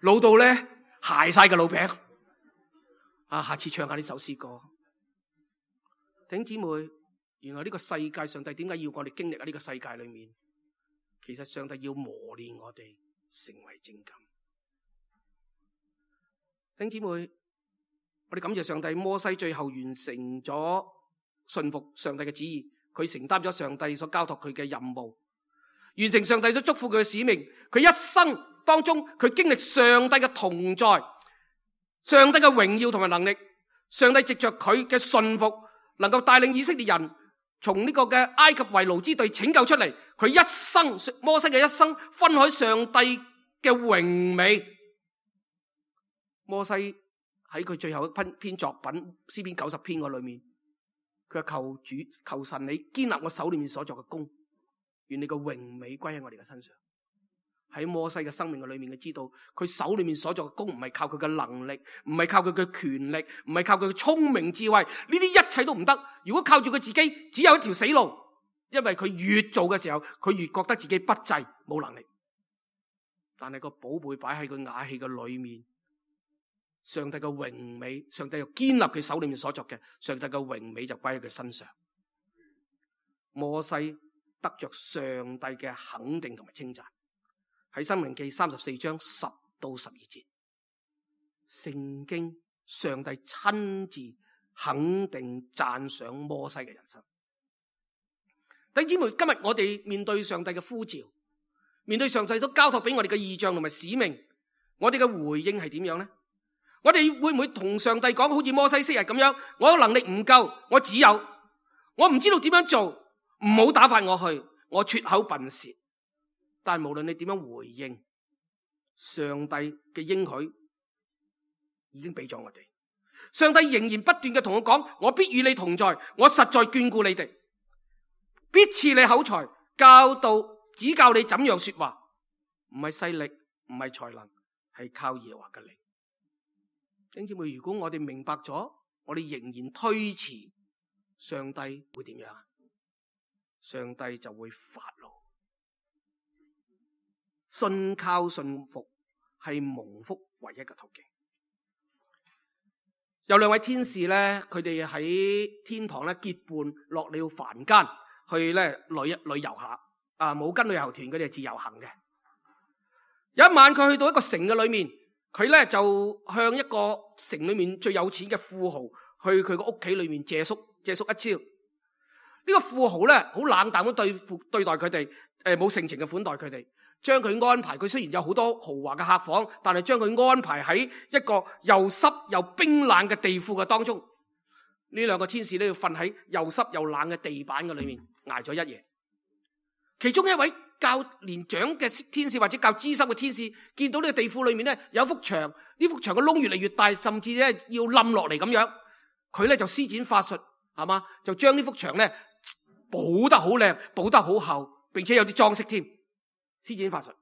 老到咧鞋晒嘅老餅。啊，下次唱下呢首詩歌。弟兄姊妹，原來呢個世界，上帝點解要我哋經歷喺呢個世界裏面？其實上帝要磨練我哋成為精金。弟兄姊妹，我哋感謝上帝，摩西最後完成咗順服上帝嘅旨意，佢承擔咗上帝所交託佢嘅任務，完成上帝所囑咐佢嘅使命。佢一生當中，佢經歷上帝嘅同在，上帝嘅榮耀同埋能力。上帝藉着佢嘅順服，能夠帶領以色列人從呢個嘅埃及為奴之地拯救出嚟。佢一生，摩西嘅一生，分開上帝嘅榮美。摩西喺佢最後一篇作品詩篇九十篇嗰裏面，佢話求主求神你堅立我手裏面所作嘅工，願你嘅榮美歸喺我哋嘅身上。喺摩西嘅生命嘅裏面，佢知道佢手裏面所作嘅工唔係靠佢嘅能力，唔係靠佢嘅權力，唔係靠佢嘅聰明智慧，呢啲一切都唔得。如果靠住佢自己，只有一條死路。因為佢越做嘅時候，佢越覺得自己不濟冇能力。但係個寶貝擺喺佢瓦器嘅裏面，上帝嘅榮美，上帝又堅立佢手裏面所作嘅，上帝嘅榮美就歸喺佢身上。摩西得着上帝嘅肯定同埋稱讚。喺申命記三十四章十到十二節，聖經上帝親自肯定讚賞摩西嘅人生。弟兄姊妹，今日我哋面對上帝嘅呼召，面對上帝都交託俾我哋嘅異象同埋使命，我哋嘅回應係點樣呢？我哋會唔會同上帝講，好似摩西昔日咁樣，我嘅能力唔夠，我只有，我唔知道點樣做，唔好打發我去，我拙口笨舌。但係無論你點樣回應，上帝嘅應許已經俾咗我哋。上帝仍然不斷嘅同我講，我必與你同在，我實在眷顧你哋，必賜你口才，教導指教你怎樣說話。唔係勢力，唔係才能，係靠耶和華嘅靈。弟兄姊妹，如果我哋明白咗，我哋仍然推遲，上帝會點樣？上帝就會發怒。信靠信服係蒙福唯一嘅途徑。有兩位天使咧，佢哋喺天堂咧結伴落了凡間去咧旅旅遊下。啊，冇跟旅遊團，佢哋係自由行嘅。有一晚佢去到一個城嘅裏面，佢咧就向一個城裏面最有錢嘅富豪去佢個屋企裏面借宿借宿一朝。呢個富豪咧好冷淡咁對付對待佢哋，誒冇盛情嘅款待佢哋，將佢安排，佢雖然有好多豪華嘅客房，但係將佢安排喺一個又濕又冰冷嘅地庫嘅當中。呢兩個天使都要瞓喺又濕又冷嘅地板嘅裏面挨咗一夜。其中一位較年長嘅天使或者較資深嘅天使，見到呢個地庫裏面咧有一幅牆，呢幅牆嘅窿越嚟越大，甚至咧要冧落嚟咁樣，佢咧就施展法術，係嘛，就將呢幅牆咧補得好靚，補得好厚，並且有啲裝飾添。施展法術，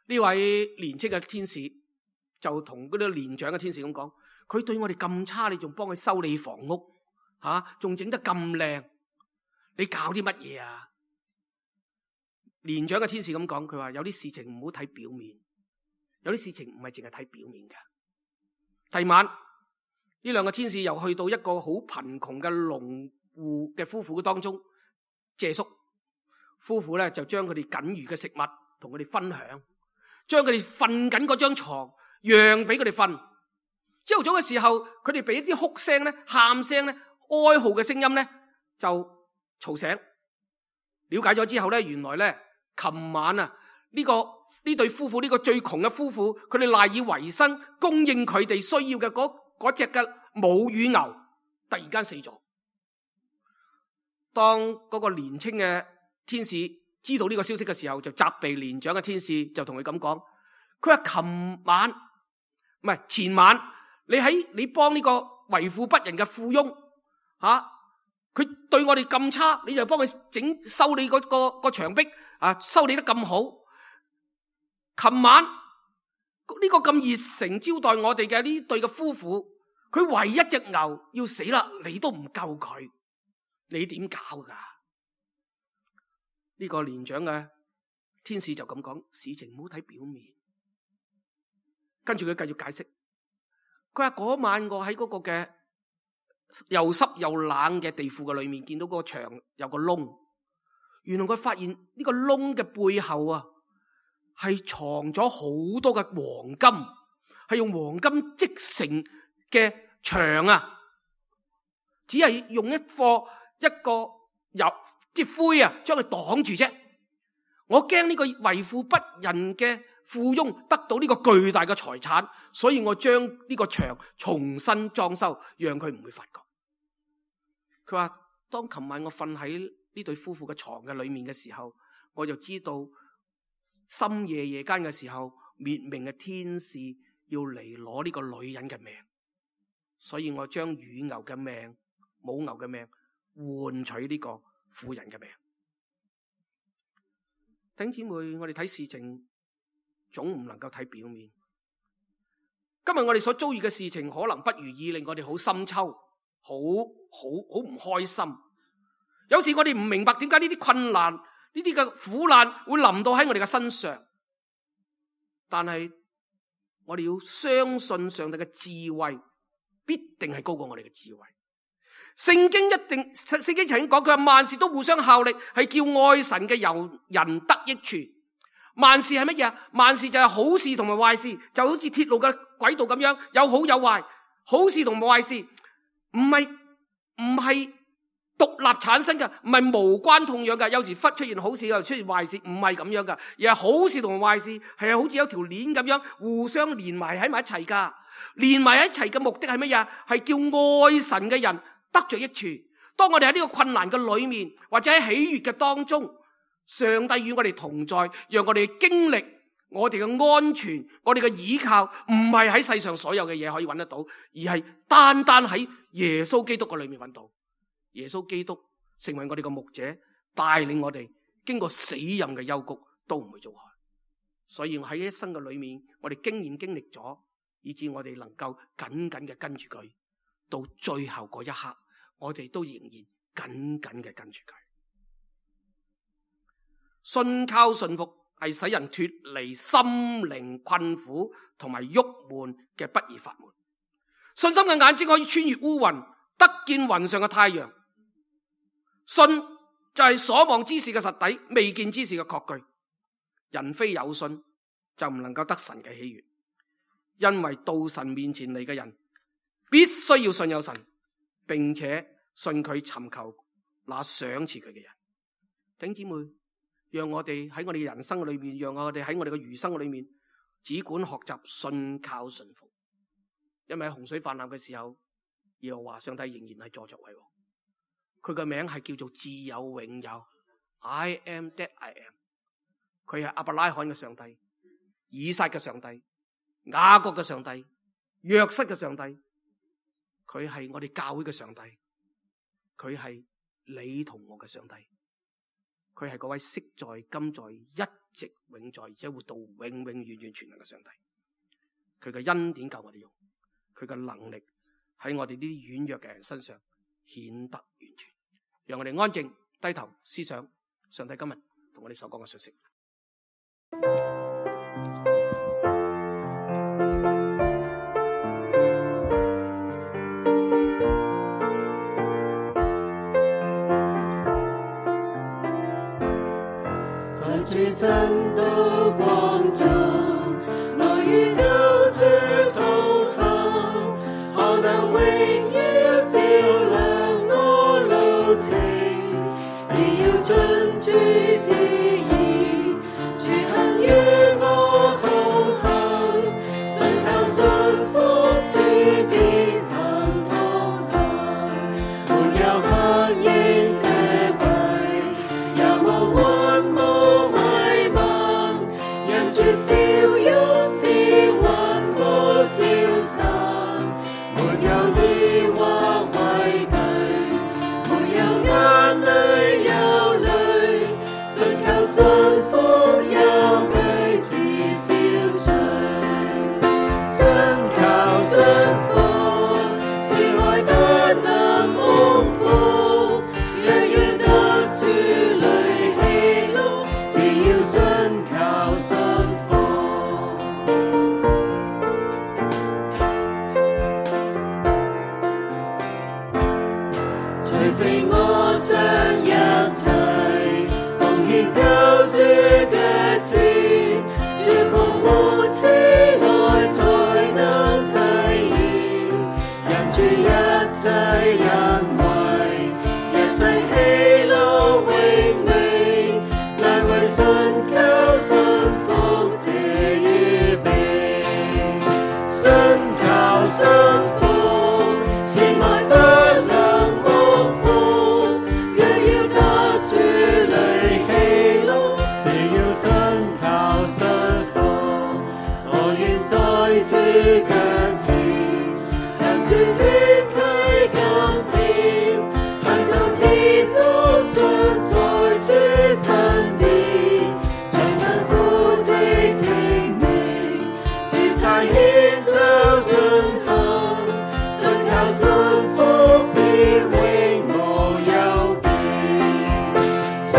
呢位年輕嘅天使就同嗰啲年長嘅天使咁講：佢對我哋咁差，你仲幫佢修理房屋，吓仲整得咁靚，你搞啲乜嘢啊？年長嘅天使咁講，佢話有啲事情唔好睇表面，有啲事情唔係淨係睇表面嘅。第二晚，呢兩個天使又去到一個好貧窮嘅農戶嘅夫婦當中借宿。夫婦咧就將佢哋僅餘嘅食物同佢哋分享，將佢哋瞓緊嗰張床讓俾佢哋瞓。朝早嘅時候，佢哋俾一啲哭聲咧、喊聲咧、哀號嘅聲音咧就嘈醒。了解咗之後咧，原來咧琴晚啊呢、這個呢對夫婦呢、這個最窮嘅夫婦，佢哋賴以為生，供應佢哋需要嘅嗰嗰隻嘅母乳牛突然間死咗。當嗰個年輕嘅天使知道呢個消息嘅時候，就責備年長嘅天使，就同佢咁講：佢話琴晚唔係前晚，你喺你幫呢個為富不仁嘅富翁吓，佢、啊、對我哋咁差，你就幫佢整修理嗰、嗰個、嗰個牆壁啊，修理得咁好。琴晚呢、呢個咁熱誠招待我哋嘅呢對嘅夫婦，佢唯一隻牛要死啦，你都唔救佢，你點搞噶？呢、這個年長嘅天使就咁講：事情唔好睇表面。跟住佢繼續解釋，佢話嗰晚我喺嗰個嘅又濕又冷嘅地庫嘅裏面，見到嗰個牆有個窿。原來佢發現呢個窿嘅背後啊，係藏咗好多嘅黃金，係用黃金織成嘅牆啊，只係用一個一個油。啲灰啊，將佢擋住啫。我驚呢個為富不仁嘅富翁得到呢個巨大嘅財產，所以我將呢個牆重新裝修，讓佢唔會發覺。佢話：當琴晚我瞓喺呢對夫婦嘅床嘅裏面嘅時候，我就知道深夜夜間嘅時候，滅命嘅天使要嚟攞呢個女人嘅命，所以我將乳牛嘅命、母牛嘅命換取呢個婦人嘅命。弟兄姊妹，我哋睇事情總唔能夠睇表面。今日我哋所遭遇嘅事情可能不如意，令我哋好深秋，好好好唔開心。有時我哋唔明白點解呢啲困難、呢啲嘅苦難會臨到喺我哋嘅身上，但係我哋要相信上帝嘅智慧必定係高過我哋嘅智慧。聖經一定，聖經曾經講，佢話萬事都互相效力，係叫愛神嘅由人得益處。萬事係乜嘢？萬事就係好事同埋壞事，就好似鐵路嘅軌道咁樣，有好有壞。好事同埋壞事唔係唔係獨立產生嘅，唔係無關痛癢嘅。有時忽出現好事，又出現壞事，唔係咁樣嘅，而係好事同埋壞事係好似有條鏈咁樣互相連埋喺埋一齊噶。連埋一齊嘅目的係乜嘢？係叫愛神嘅人得着益處。當我哋喺呢個困難嘅裏面，或者喺喜悅嘅當中，上帝與我哋同在，讓我哋經歷我哋嘅安全，我哋嘅依靠，唔係喺世上所有嘅嘢可以揾得到，而係單單喺耶穌基督嘅裏面揾到。耶穌基督成為我哋嘅牧者，帶領我哋經過死蔭嘅幽谷都唔會遭害。所以我喺一生嘅裏面，我哋經驗經歷咗，以致我哋能夠緊緊嘅跟住佢，到最後嗰一刻，我哋都仍然緊緊嘅跟住佢。信靠順服係使人脫離心靈困苦同埋鬱悶嘅不二法門。信心嘅眼睛可以穿越烏雲，得見雲上嘅太陽。信就係所望之事嘅實底，未見之事嘅確據。人非有信就唔能夠得神嘅喜悅，因為到神面前嚟嘅人必須要信有神，並且信佢尋求那賞賜佢嘅人。弟兄姊妹，讓我哋喺我哋嘅人生裏面，讓我哋喺我哋嘅餘生裏面，只管學習信靠順服。因為喺洪水泛濫嘅時候，耶和華上帝仍然係坐着為王，佢嘅名係叫做自有永有 I am that I am。 佢係亞伯拉罕嘅上帝，以撒嘅上帝，雅各嘅上帝，約瑟嘅上帝。佢係我哋教會嘅上帝，佢係你同我嘅上帝。佢係嗰位昔在今在一直永在，而且活到永永遠遠全能嘅上帝。佢嘅恩典夠我哋用，佢嘅能力喺我哋呢啲軟弱嘅人身上顯得完全。讓我哋安靜低頭思想上帝今日同我哋所講嘅信息。在主真道光中，我與救主同行，何能榮耀照亮我路程？只要遵主旨意，主行與我同行，信靠信服主必行同行，沒有黑影遮蔽，有無雲霧迷茫，人主笑容是雲霧消散，沒有疑惑畏懼，沒有眼淚憂慮，信靠信服憂懼自消除，信靠信服是愛不能蒙福，若要得主裡喜樂，只要信靠信服。除非我將一切奉獻救主腳前，主復活之愛才能體驗，人主一切恩惠，一切喜樂永美，難為信靠信服這預備，信靠信服是愛不能蒙福，若要得主裡喜樂，只要信靠信服，我願在主腳前，向主脫契甘甜，行走天路上在主身邊，盡吩咐即聽命，主差遣就進行，信靠信服必永無憂見，信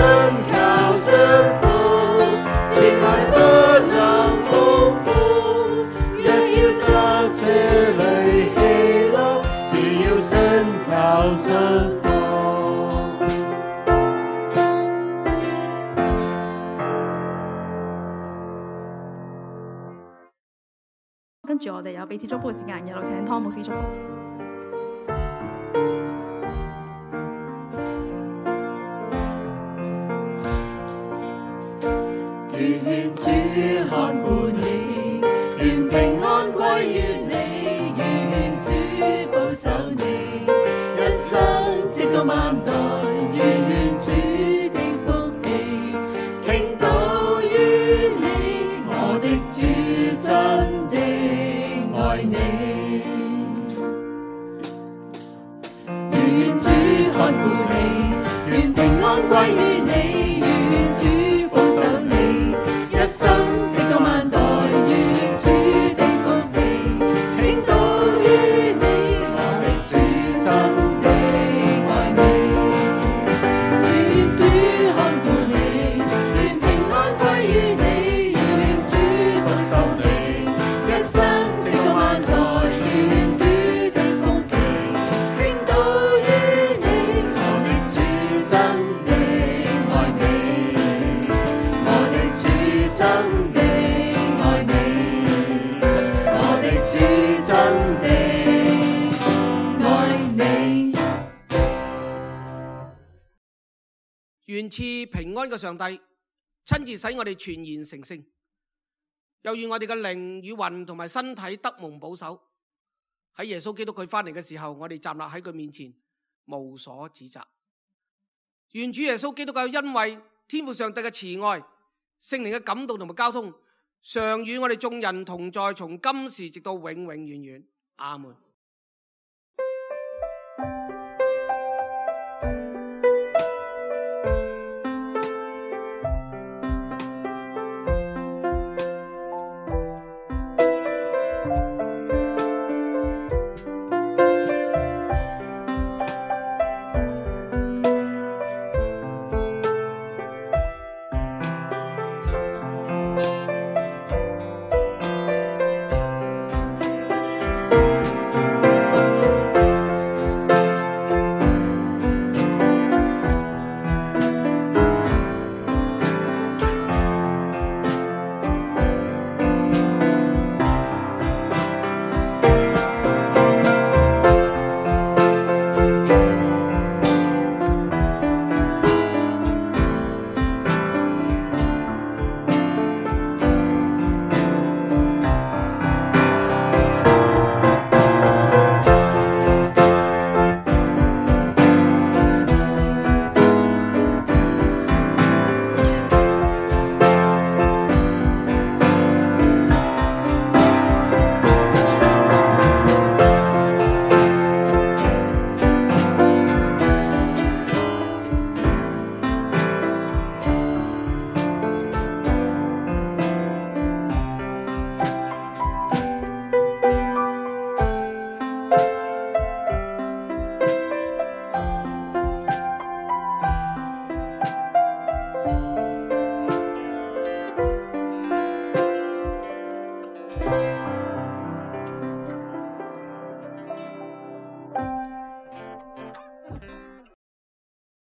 靠信服是愛不能蒙福，若要得主裡喜樂，只要信靠信服。跟住我哋有彼此祝福嘅時間，有請湯牧師祝福。願主看顧你，願平安歸於你，願主保守你，一生直到萬代，願主的福氣傾倒於你，我的主真的愛你。願主看顧你，願平安歸於你，願主保守你，一生直到萬代，願主的福氣傾倒於你，我的主真的愛你。願主看顧你，願平安歸於你，願主保守你，一生直到萬代，願主真的愛你，我的主真的愛你。願賜平安嘅上帝親自使我哋全然成聖，又願我哋嘅靈與魂同埋身體得蒙保守。喺耶穌基督佢翻嚟嘅時候，我哋站立喺佢面前，無所指責。願主耶穌基督嘅恩惠、天父上帝嘅慈愛、聖靈嘅感動同埋交通，常與我哋眾人同在，從今時直到永永遠遠。阿門。